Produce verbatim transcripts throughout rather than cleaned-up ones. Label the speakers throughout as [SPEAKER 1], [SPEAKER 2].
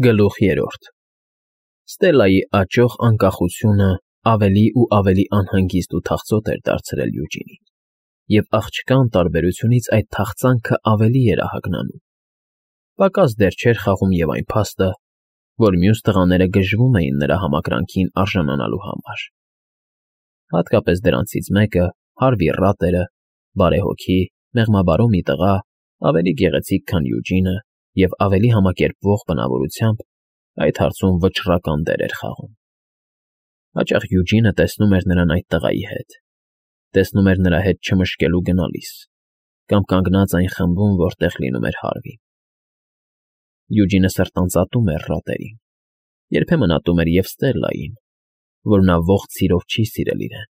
[SPEAKER 1] Գլուխ երրորդ Ստելլայի աճող անկախությունը ավելի ու ավելի անհանգիստ ու թախծոտ էր դարձրել Յուջինին, և աղջկա անտարբերությունից այդ թախծանքը ավելի էր ահագնանում. պակաս դեռ չէր խաղում և այն փաստը, որ մյուս տղաները գժվում էին նրա համակրանքին արժանանալու համար. հատկապես դրանցից մեկը, Հարվի Ռատերը, բարեհոգի, մեղմաբարո մի տղա, ավելի գեղեցիկ, քան Յուջինը և ավելի համակերպվող բնավորությամբ, այդ հարցում վճռական դեր էր խաղում. հաճախ Յուջինը տեսնում էր նրան այդ տղայի հետ, տեսնում էր նրա հետ չմշկելու գնալիս, կամ կանգնած այն խմբում, որտեղ լինում էր Հարվին. Յուջինը սրտանց ատում էր Ռատերին, երբեմն ատում էր և Ստելլային, որ նա ողջ սիրով չի սիրել իրեն,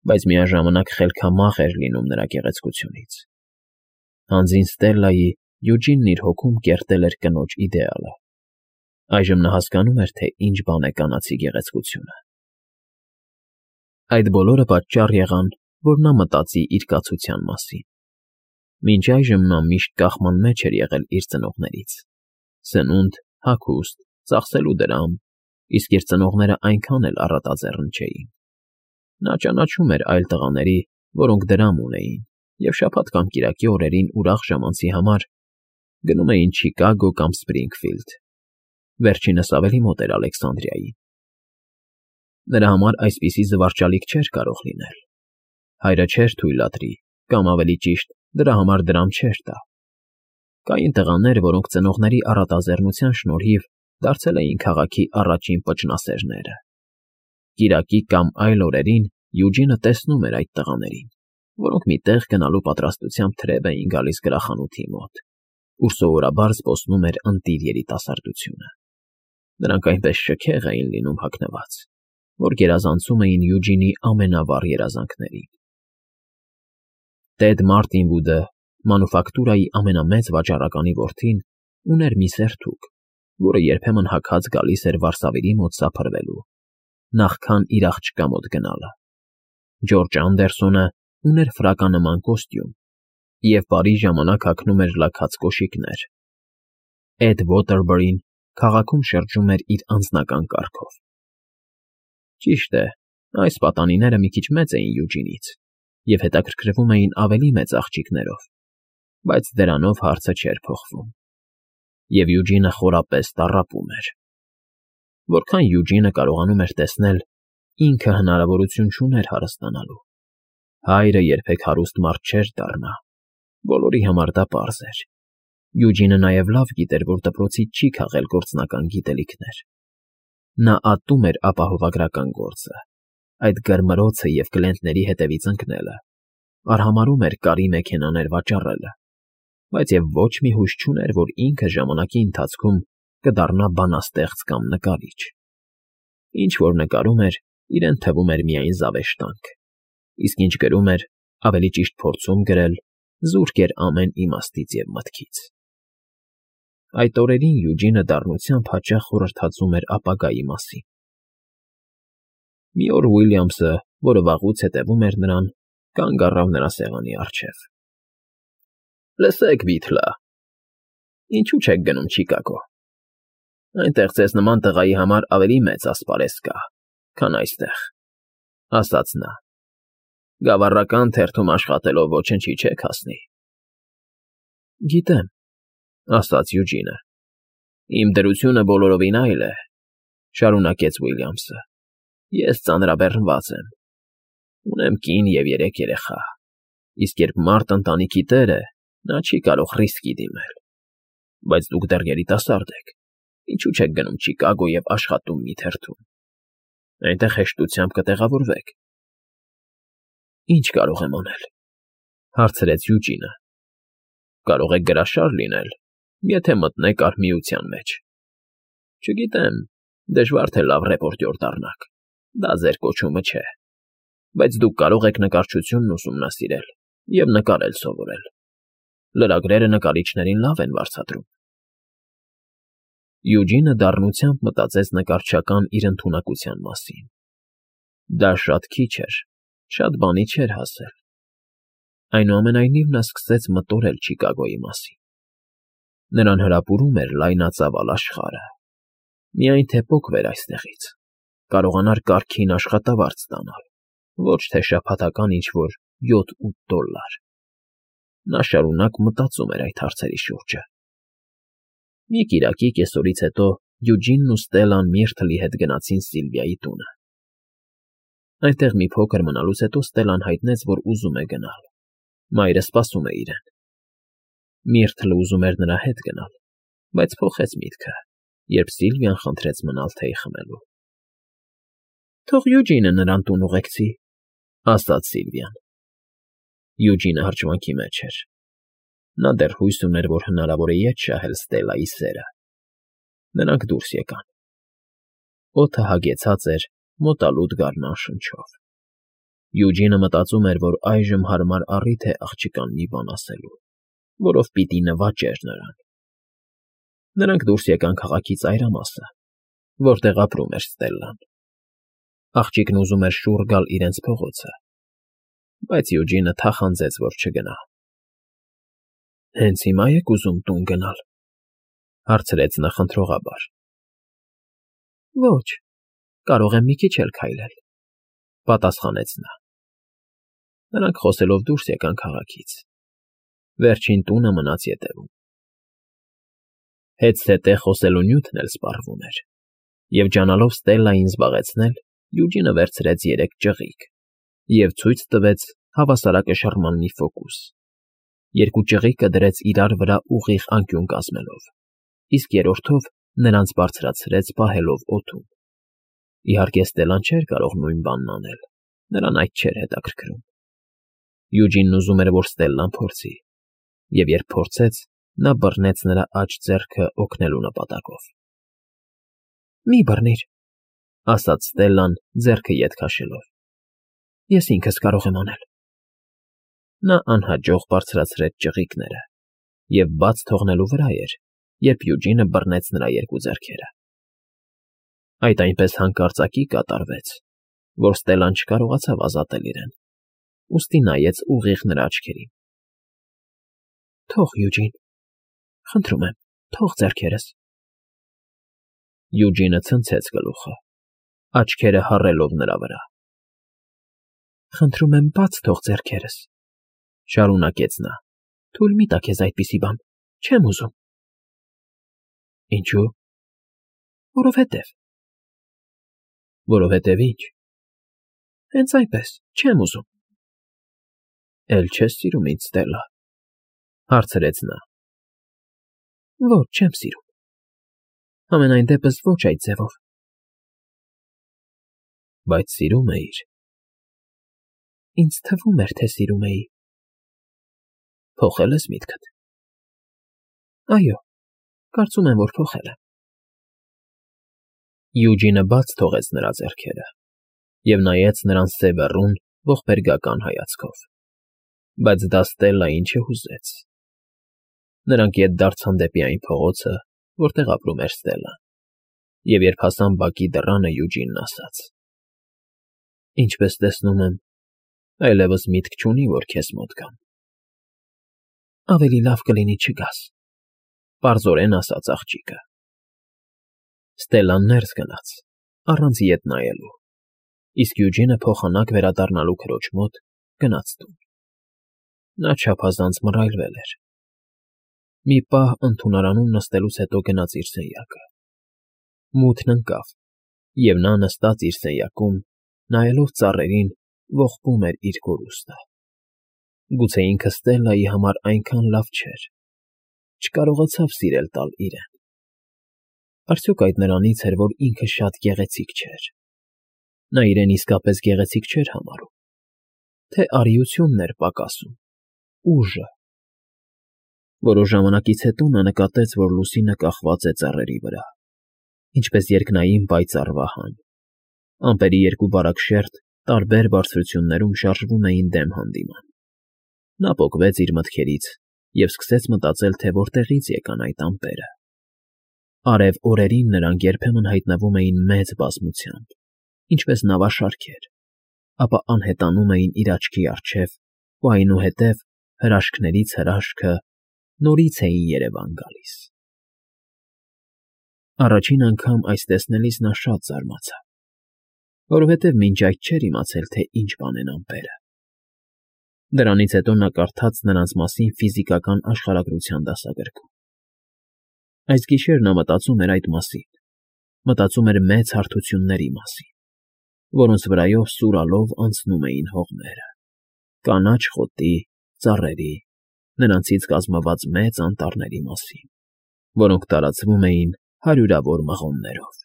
[SPEAKER 1] բայց միաժամանակ խելքամաղ էր լինում նրա գեղեցկությունից. հանձին Ստելլայի Յուջինն իր հոգում կերտել էր կնոջ իդեալը. այժմ նա հասկանում էր, թե ինչ բան է կանացի գեղեցկությունը։ Այդ բոլորը պատճառ եղան, որ նա մտածի իր կացության մասին. մինչ այժմ նա միշտ կախման մեջ էր եղել իր ծնողներից. սնունդ, հագուստ, ծախսելու դրամ, իսկ իր ծնողները այնքան էլ առատաձեռն չէին. նա ճանաչում էր այլ տղաների, որոնք դրամ ունեին, և շաբաթ կամ կիրակի օրերին ուրախ ժամանցի համար գնում էին Չիկագո կամ Սփրինգֆիլդ, վերջինս ավելի մոտ էր Ալեքսանդրիային. նրա համար այսպիսի զվարճալիք չէր կարող լինել. հայրը չէր թույլատրի, կամ ավելի ճիշտ, դրա համար դրամ չէր տա. կային տղաներ, որոնք ծնողների առատաձեռնության շնորհիվ դարձել էին քաղաքի առաջին պճնասերները. կիրակի կամ այլ օրերին Յուջինը տեսնում էր այդ տղաներին, որոնք մի տեղ գնալու պատրաստությամբ թրև էին գալիս գրախանութի մոտ, ուր սովորաբար զբոսնում էր ընտիր երիտասարդությունը. նրանք այնպես շքեղ էին լինում հագնված, որ գերազանցում էին Յուջինի ամենավառ երազանքներին. Տեդ Մարտին Վուդը, մանուֆակտուրայի ամենամեծ վաճառականի որդին, ուներ մի սերթուկ, որը երբեմն հագած գալիս էր վարսավիրի մոտ սափրվելու, նախքան իր աղջկա մոտ գնալը. Ջորջ Անդերսոնը ուներ ֆրականման կոստյում և բարի ժամանակ հագնում էր լաքած կոշիկներ. Էդ Ոթերբերին քաղաքում շրջում էր իր անձնական կառքով. ճիշտ է, այս պատանիները մի քիչ մեծ էին Յուջինից և հետաքրքրվում էին ավելի մեծ աղջիկներով, բայց դրանով հարցը չէր փոխվում, և Յուջինը խորապես տառապում էր. որքան Յուջինը կարողանում էր տեսնել, ինքը հնարավորություն չուներ հարստանալու. հայրը երբեք հարուստ մարդ չէր դառնա, բոլորի համար դա պարզ էր. Յուջինը նաև լավ գիտեր, որ դպրոցից չի քաղել գործնական գիտելիքներ. նա ատում էր ապահովագրական գործը, այդ գրմռոցը և կլիենտների հետևից ընկնելը, արհամարհում էր կարի մեքենաներ վաճառելը, բայց և ոչ մի հույս չուներ, որ ինքը ժամանակի ընթացքում կդառնա բանաստեղծ կամ նկարիչ. ինչ որ նկարում էր, իրեն թվում էր միայն զավեշտանք, իսկ ինչ գրում էր, ավելի ճիշտ փորձում գրել, զուրկ էր ամեն իմաստից և մտքից. Այդ օրերին Յուջինը դառնությամբ հաճախ խորհրդածում էր ապագայի մասին. Մի օր Ուիլյամսը, որը վաղուց հետևում էր նրան, կանգ առավ նրա սեղանի առջև. Լսեք, Վիթլա, ինչու չեք գնում Չիկագո. այնտեղ ձեզ նման տղայի համար ավելի մեծ ասպարեզ կա, քան այստեղ, ասաց նա. գավառական թերթում աշխատելով ոչնչի չեք հասնի։ Գիտեմ, ասաց Յուջինը. իմ դրությունը բոլորովին այլ է, շարունակեց Ուիլյամսը. ես ծանրաբեռնված եմ, ունեմ կին և երեք երեխա, իսկ երբ մարդ ընտանիքի տեր է, նա չի կարող ռիսկի դիմել, բայց դուք դեռ երիտասարդ եք, ինչու չեք գնում Չիկագո և աշխատում մի թերթում, այնտեղ հեշտությամբ կտեղավորվեք։ Ինչ կարող եմ անել, հարցրեց Յուջինը. կարող եք գրաշար լինել, եթե մտնեք արհմիության մեջ։ Չգիտեմ, դժվար թե լավ ռեպորտյոր դառնաք, դա ձեր կոչումը չէ, բայց դուք կարող եք նկարչությունն ուսումնասիրել և նկարել սովորել, լրագրերը նկարիչներին լավ են վարձատրում։ Յուջինը դառնությամբ մտածեց նկարչական իր ընդունակության մասին. դա շատ քիչ էր, շատ բանի չէր հասել։ Այնուամենայնիվ նա սկսեց մտորել Չիկագոյի մասին. նրան հրապուրում էր լայնածավալ աշխարհը, Միայն թե պոկվեր այստեղից, կարողանար կարգին աշխատավարձ ստանալ, ոչ թե շաբաթական ինչ֊որ յոթ֊ութ դոլլար։ Նա շարունակ մտածում էր այդ հարցերի շուրջը։ Մի կիրակի կեսօրից հետո Յուջինն ու Ստելլան Միրթլի հետ գնացին Սիլվիայի տունը։ Այնտեղ մի փոքր մնալուց հետո Ստելլան հայտնեց, որ ուզում է գնալ։ Մայրը սպասում է իրեն։ Միրթլը ուզում էր նրա հետ գնալ, բայց փոխեց միտքը, երբ Սիլվիան խնդրեց մնալ թեյ խմելու։ Թող Յուջինը նրան տուն ուղեկցի, ասաց Սիլվիան։ Յուջինը հրճվանքի մեջ էր։ Նա դեռ հույս ուներ, որ հնարավոր է ետ շահել Ստելլայի սերը։ Նրանք դուրս եկան։ Օդը հագեցած էր մոտալուտ գարնան շնչով։ Յուջինը մտածում էր, որ այժմ հարմար առիթ է աղջկան մի բան ասելու, որով պիտի նվաճեր նրան։ Նրանք դուրս եկան քաղաքի ծայրամասը, որտեղ ապրում էր Ստելլան։ Աղջիկն ուզում էր շուռ գալ իրենց փողոցը, բայց Յուջինը թախանձեց, որ չգնա։ Հենց հիմա եք ուզում տուն գնալ, հարցրեց նա խնդրողաբար։ Ոչ, կարող եմ մի քիչ էլ քայլել, պատասխանեց նա։ Նրանք խոսելով դուրս եկան քաղաքից։ Վերջին տունը մնաց ետևում։ Հետ-ստե խոսելու նյութն էլ սպառվում էր, և ջանալով Ստելլային զբաղեցնել, Յուջինը վերցրեց երեք ճղիկ և ցույց տվեց հավասարակշռման մի ֆոկուս։ Երկու ճղիկը դրեց իրար վրա ուղիղ անկյուն կազմելով, իսկ երրորդով նրանց բարձրացրեց պահելով օդում։ Իհարկե Ստելլան չէր կարող նույն բանն անել, նրան այդ չէր հետաքրքրում։ Յուջինն ուզում էր, որ Ստելլան փորձի, և երբ փորձեց, նա բռնեց նրա աջ ձեռքը օգնելու նպատակով։ Մի բռնիր, ասաց Ստելլան ձեռքը ետ քաշելով։ Ես ինքս կարող եմ անել։ Նա անհաջող բարձրացրեց ճղիկները և բաց թողնելու վրա էր, երբ Յուջինը բռնեց նրա երկու ձեռքերը։ Այդ այնպես հանկարծակի կատարվեց, որ Ստելլան չկարողացավ ազատել իրեն, ուստի նայեց ուղիղ նրա աչքերին։ Թող, Յուջին, խնդրում եմ, թող ձեռքերս։ Յուջինը ցնցեց գլուխը, աչքերը հառելով նրա վրա։ Խնդրում եմ, բաց թող ձեռքերս, շարունակեց նա, թույլ մի տա քեզ այդպիսի բան, չեմ ուզում։ Ինչո՞ւ։ Որովհետև։ Որովհետև ինչ։ Հենց այնպես, չեմ ուզում։ Էլ չես սիրում ինձ, Ստելլա, հարցրեց նա։ Ոչ, չեմ սիրում։ Համենայն դեպս ոչ այդ ձևով։ Բայց սիրում էիր։ Ինձ թվում էր, թե սիրում էի։ Փոխել ես միտքդ։ Այո, կարծում եմ, որ փոխել եմ։ Յուջինը բաց թողեց նրա ձեռքերը և նայեց նրան սևեռուն, ողբերգական հայացքով, բայց դա Ստելլային չհուզեց։ Նրանք ետ դարձան դեպի այն փողոցը, որտեղ ապրում էր Ստելլան, և երբ հասան բակի դռանը, Յուջինն ասաց. Ինչպես տեսնում եմ, այլևս միտք չունի, որ քեզ մոտ գամ։ Ավելի լավ կլինի չգաս, պարզորեն ասաց աղջիկը։ Ստելլան ներս գնաց, առանց ետ նայելու, իսկ Յուջինը փոխանակ վերադառնալու քրոջ մոտ գնաց տուն։ Նա չափազանց մռայլվել էր։ Մի պահ ընդունարանում նստելուց հետո գնաց իր սենյակը։ Մութն ընկավ, և նա նստած իր սենյակում, նայելով ծառերին, ողբում էր իր կորուստը։ Գուցե ինքը Ստելլայի համար այնքան լավ չէր, չկարողացավ սիրել տալ իրեն։ Արդյոք այդ նրանից էր, որ ինքը շատ գեղեցիկ չէր։ Նա իրեն իսկապես գեղեցիկ չէր համարում, թե արիությունն էր պակասում, ուժը։ Որոշ ժամանակից հետո նա նկատեց, որ լուսինը կախված է ծառերի վրա, ինչպես երկնային պայծառ վահան։ Ամպերի երկու բարակ շերտ տարբեր բարձրություններում շարժվում էին դեմ հանդիման։ Նա պոկվեց իր մտքերից և սկսեց մտածել, թե որտեղից եկան այդ ամպերը։ Արև օրերին նրանք երբեմն հայտնվում էին մեծ բազմությամբ, ինչպես նավաշարքեր, ապա անհետանում էին իր աչքի առջև ու այնուհետև հրաշքներից հրաշքը նորից էին երևան գալիս։ Առաջին անգամ այս տեսնելիս նա շատ զարմացավ, որովհետև մինչ այդ չէր իմացել, թե ինչ բան են ամպերը։ Դրանից հետո նա կարդաց նրանց մասին ֆիզիկական աշխարհագրության դասագրքում։ Այս գիշեր նա մտածում էր այդ մասին, մտածում էր մեծ հարթությունների մասին, որոնց վրայով սուրալով անցնում էին հողմերը, կանաչ խոտի, ծառերի, նրանցից կազմված մեծ անտառների մասին, որոնք տարածվում էին հարյուրավոր մղոններով։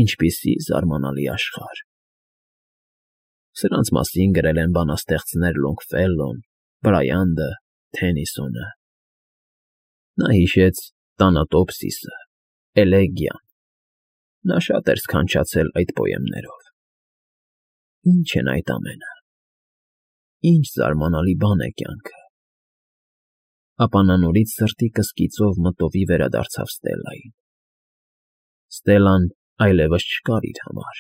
[SPEAKER 1] Ինչպիսի զարմանալի աշխարհ։ Սրանց մասին գրել են բանաստեղծներ Լոնգֆելլոն, Բրայանդը, Թեննիսոնը։ Նա հիշեց Տանատոպսիսը, Էլեգիան։ Նա շատ էր սքանչացել այդ պոեմներով։ Ինչ են այդ ամենը։ Ինչ զարմանալի բան է կյանքը։ Ապա նա նորից սրտի կսկիծով մտովի վերադարձավ Ստելլային։ Ստելլան այլևս չկար իր համար,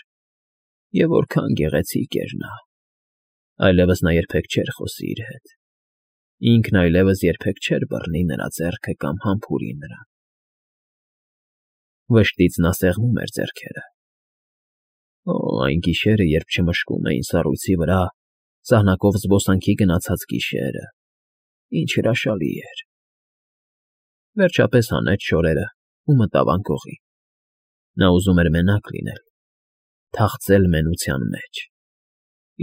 [SPEAKER 1] և որքան գեղեցիկ էր նա։ Այլևս նա երբեք չէր խոսի իր հետ։ Ինքն այլևս երբեք չէր բռնի նրա ձեռքը կամ համբուրի նրան։ Վշտից նա սեղմում էր ձեռքերը։ Օ, այն գիշերը, երբ չմշկում էին սառույցի վրա, սահնակով զբոսանքի գնացած գիշերը, ինչ հրաշալի էր։ Վերջապես հանեց շորերը ու մտավ անկողի։ Նա ուզում էր մենակ լինել, թախծել մենության մեջ։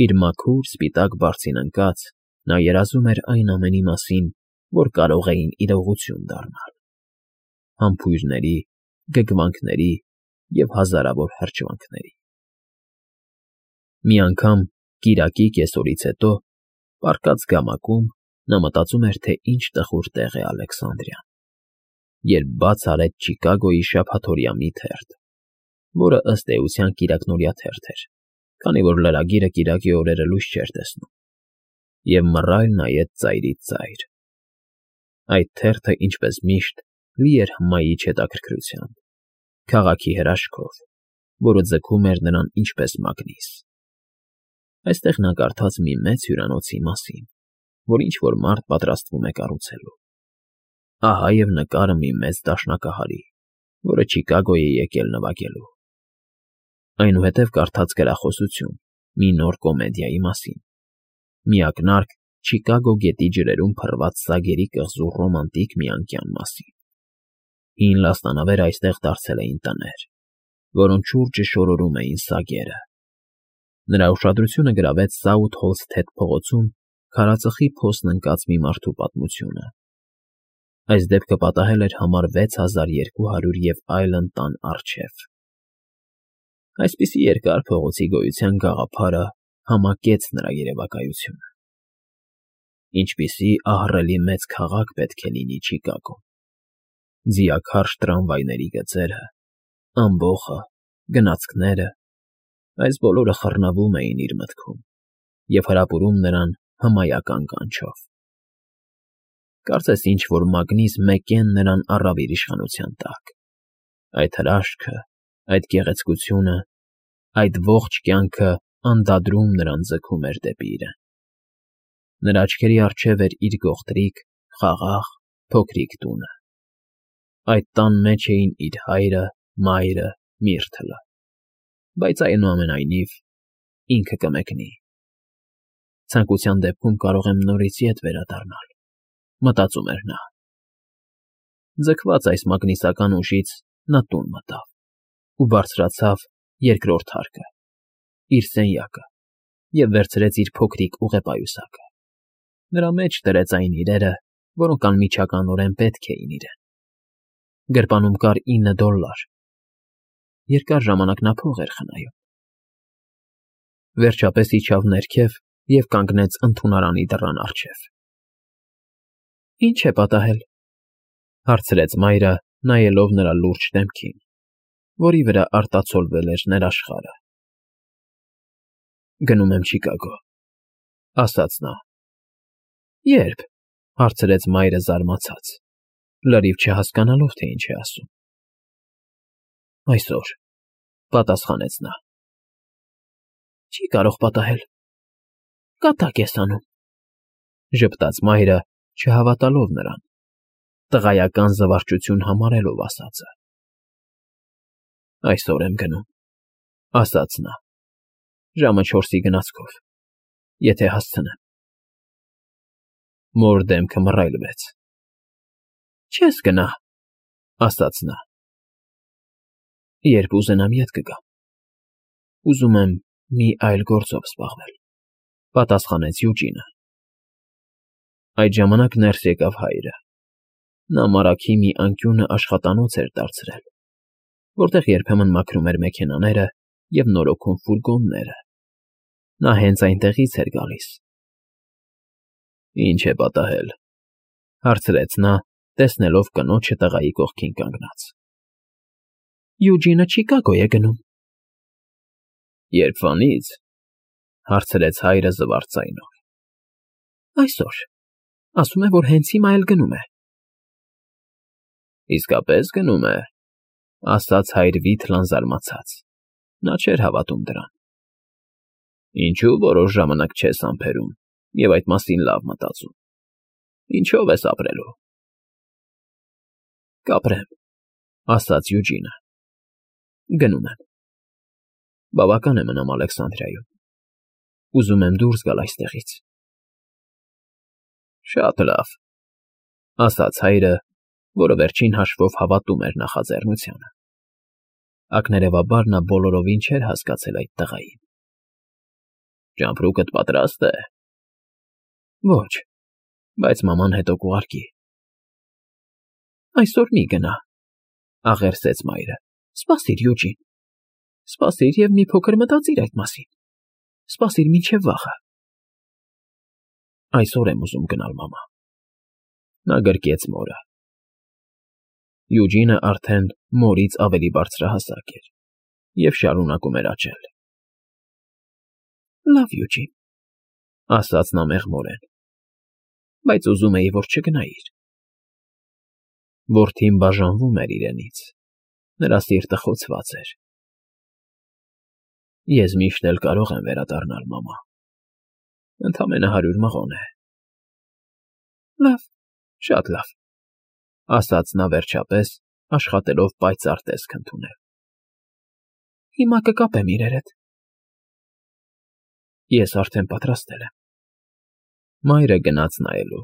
[SPEAKER 1] Իր մաքուր, սպիտակ բարձին ընկած, նա երազում էր այն ամենի մասին, որ կարող էին իրողություն դառնալ. համբույրների, գգվանքների և հազարավոր հրճվանքների։ Մի անգամ, կիրակի կեսօրից հետո, պառկած գամակում, նա մտածում էր, թե ինչ տխուր տեղ է Ալեքսանդրիան, երբ բաց արեց Չիկագոյի շաբաթօրյա մի թերթ, որը ըստ էության կիրակնօրյա թերթ էր, քանի որ լրագիրը կիրակի օրերը լույս չէր տեսնում, և մռայլ նայեց ծայրից ծայր։ Այդ թերթը, ինչպես միշտ, լի էր հմայիչ հետաքրքրությամբ, քաղաքի հրաշքով, որը ձգում էր նրան ինչպես մագնիս։ Այստեղ նա կարդաց մի մեծ հյուրանոցի մասին, որ ինչ֊որ մարդ պատրաստվում է կառուցելու։ Ահա և նկարը մի մեծ դաշնակահարի, որը Չիկագո է եկել նվագելու։ Այնուհետև կարդաց գրախոսություն մի նոր կոմեդիայի մասին, մի ակնարկ Չիկագո գետի ջրերում փռված սագերի կղզու ռոմանտիկ մի անկյան մասին։ Հին լաստանավերը այստեղ դարձել էին տներ, որոնց շուրջը շորորում էին սագերը։ Նրա ուշադրությունը գրավեց Սաութհոլսթեթ փողոցում քարածխի փոսն ընկած մի մարդու պատմությունը։ Այս դեպքը պատահել էր համար վեց հազար երկու հարյուր և այլն տան առջև։ Այսպիսի երկար փողոցի գոյության գաղափարը համակեց նրա երևակայությունը։ Ինչպիսի ահռելի մեծ քաղաք պետք է լինի Չիկագոն։ Ձիաքարշ տրամվայների գծերը, ամբոխը, գնացքները, այս բոլորը խռնվում էին իր մտքում և հրապուրում նրան հմայական կանչով։ Կարծես ինչ֊որ մագնիս մեկեն նրան առավ իր իշխանության տակ։ Այդ հրաշքը, այդ գեղեցկությունը, այդ ողջ կյանքը անդադրում նրան ձգում էր դեպի իրեն։ Նրա աչքերի առջև էր իր գողտրիկ, խաղաղ, փոքրիկ տունը։ Այդ տան մեջ էին իր հայրը, մայրը, Միրթլը, բայց այնուամենայնիվ ինքը կմեկնի։ Ցանկության դեպքում կարող եմ նորից ետ վերադառնալ, մտածում էր նա։ Ձգված այս մագնիսական ուժից նա տուն մտավ ու բարձրացավ երկրորդ հարկը, իր սենյակը, և վերցրեց իր փոքրիկ ուղեպայուսակը։ Նրա մեջ դրեց այն իրերը, որոնք անմիջականորեն պետք էին իրեն։ Գրպանում կար ինը դոլլար։ Երկար ժամանակ նա փող էր խնայում։ Վերջապես իջավ ներքև և կանգնեց ընդունարանի դռան առջև։ ֊ Ի՞նչ է պատահել,֊ հարցրեց մայրը, նայելով նրա լուրջ դեմքին, որի վրա արտացոլվել էր ներաշխարը։ ֊ Գնում եմ Չիկագո,֊ ասաց նա։ ֊ Ե՞րբ,֊ հարցրեց մայրը զարմացած, լրիվ չհասկանալով, թե ինչ է ասում։ ֊ Այսօր,֊ պատասխանեց նա։ ֊ Չի կարող պատահել, կատակ ես անում,֊ ժպտաց մայրը, չհավատալով նրան, տղայական զվարճություն համարելով ասածը։ Այսօր եմ գնում, ասաց նա, ժամը չորսի գնացքով, եթե հասցնեմ։ Մոր դեմքը մռայլվեց։ Չես գնա, ասաց նա։ Երբ ուզենամ ետ կգամ։ Ուզում եմ մի այլ գործով զբաղվել, պատասխանեց Յուջինը։ Այդ ժամանակ ներս եկավ հայրը։ Նա մարագի մի անկյունը աշխատանոց էր դարձրել, որտեղ երբեմն մաքրում էր մեքենաները և նորոգում ֆուրգոնները։ Նա հենց այնտեղից էր գալիս։ Ինչ է պատահել, հարցրեց նա, տեսնելով կնոջը տղայի կողքին կանգնած։ Յուջինը Չիկագո է գնում։ Երբվանից, հարցրեց հայրը զվարթ ձայնով։ Այսօր, ասում է, որ հենց հիմա էլ գնում է։ Իսկապես գնում է, ասաց հայր Վիթլան զարմացած։ Նա չէր հավատում դրան։ Ինչու որոշ ժամանակ չես համբերում և այդ մասին լավ մտածում։ Ինչով ես ապրելու։ Կապրեմ, ասաց Յուջինը։ Գնում եմ։ Բավական է մնամ Ալեքսանդրիայում։ Ուզում եմ դուրս գալ այստեղից։ Շատ լավ, ասաց հայրը, որը վերջին հաշվով հավատում էր նախաձեռնությանը։ Ակներևաբար նա բոլորովին չէր հասկացել այդ տղային։ Ճամպրուկդ պատրաստ է։ Ոչ, բայց մաման հետո կուղարկի։ Այսօր մի գնա, աղերսեց մայրը։ Սպասիր, Յուջին։ Սպասիր և մի փոքր մտածիր այդ մասին։ Սպասիր մինչև վաղը։ Այսօր եմ ուզում գնալ, մամա։ Նա գրկեց մորը։ Յուջինը արդեն մորից ավելի բարձրահասակ էր և շարունակում էր աճել։ Լավ, Յուջին, ասաց նա մեղմորեն, բայց ուզում էի, որ չգնայիր։ Որդին բաժանվում էր իրենից, նրա սիրտը խոցված էր։ Ես միշտ էլ կարող եմ վերադառնալ, մամա, ընդամենը հարյուր մղոն է։ Լավ, շատ լավ, ասաց նա վերջապես, աշխատելով պայծառ տեսք ընդունել։ Հիմա կկապեմ իրերդ։ Ես արդեն պատրաստել եմ։ Մայրը գնաց նայելու։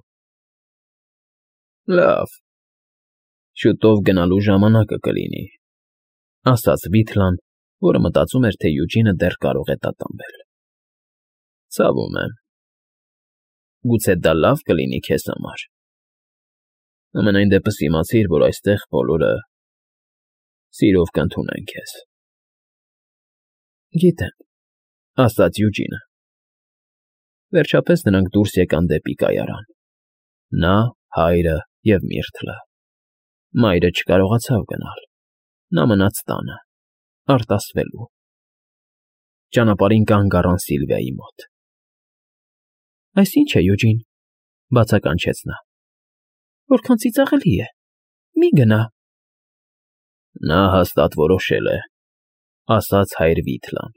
[SPEAKER 1] Լավ, շուտով գնալու ժամանակը կլինի, ասաց Վիթլան, որը մտածում էր, թե Յուջինը դեռ կարող է տատանվել։ Ցավում եմ։ Գուցե դա լավ կլինի քեզ համար։ Համենայն դեպս իմացիր, որ այստեղ բոլորը սիրով կընդունեն քեզ։ Գիտեմ, ասաց Յուջինը։ Վերջապես նրանք դուրս եկան դեպի կայարան։ Նա, հայրը և Միրթլը։ Մայրը չկարողացավ գնալ։ Նա մնաց տանը, արտասվելու։ Ճանապարհին կանգ առան Սիլվիայի մոտ։ Այս ի՞նչ է, Յուջին, բացականչեց նա։ Որքան ծիծաղելի է։ Մի գնա։ Նա հաստատ որոշել է, ասաց հայր Վիթլան։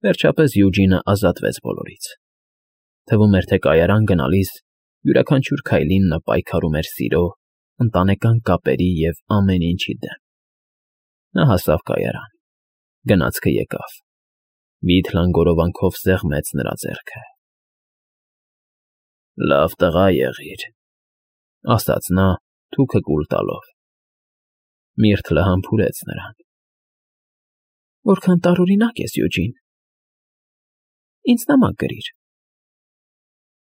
[SPEAKER 1] Վերջապես Յուջինը ազատվեց բոլորից։ Թվում էր, թե կայարան գնալիս յուրաքանչյուր քայլին նա պայքարում էր սիրո, ընտանեկան կապերի և ամեն ինչի դեմ։ Նա հասավ կայարան։ Գնացքը եկավ։ Վիթլան գորովանքով սեղմեց նրա ձեռքը։ Լավ տղա եղիր, ասաց նա, թուքը կուլ տալով։ Միրթլը համբուրեց նրան։ Որքան տարօրինակ ես, Յուջին։ Ինձ նամակ գրիր։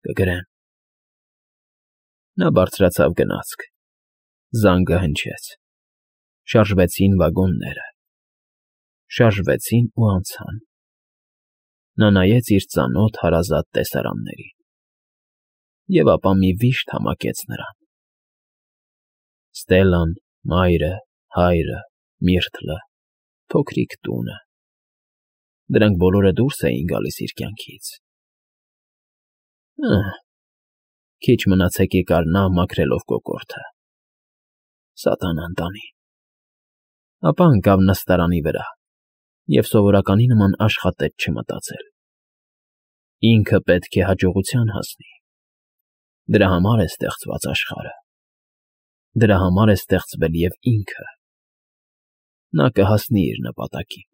[SPEAKER 1] Կգրեմ։ Նա բարձրացավ գնացք։ Զանգը հնչեց։ Շարժվեցին վագոնները։ Շարժվեցին ու անցան։ Նա նայեց իր ծանոթ հարազատ տեսարաններին։ Եվ ապա մի վիշտ համակեց նրան։ Ստելլան, մայրը, հայրը, Միրթլը, փոքրիկ տունը։ Դրանք բոլորը դուրս էին գալիս իր կյանքից։ Ահ, քիչ մնացեք եկար նա մաքրելով կոկորդը։ Սատանան տանի։ Ապա ընկավ նստարանի վրա և սովորականի նման աշխատեց չմտածել։ Ինքը պետք է հաջողության հասնի։ Դրա համար է ստեղծված աշխարհը։ Դրա համար է ստեղծվել և ինքը։ նա կհասնի իր նպատակին։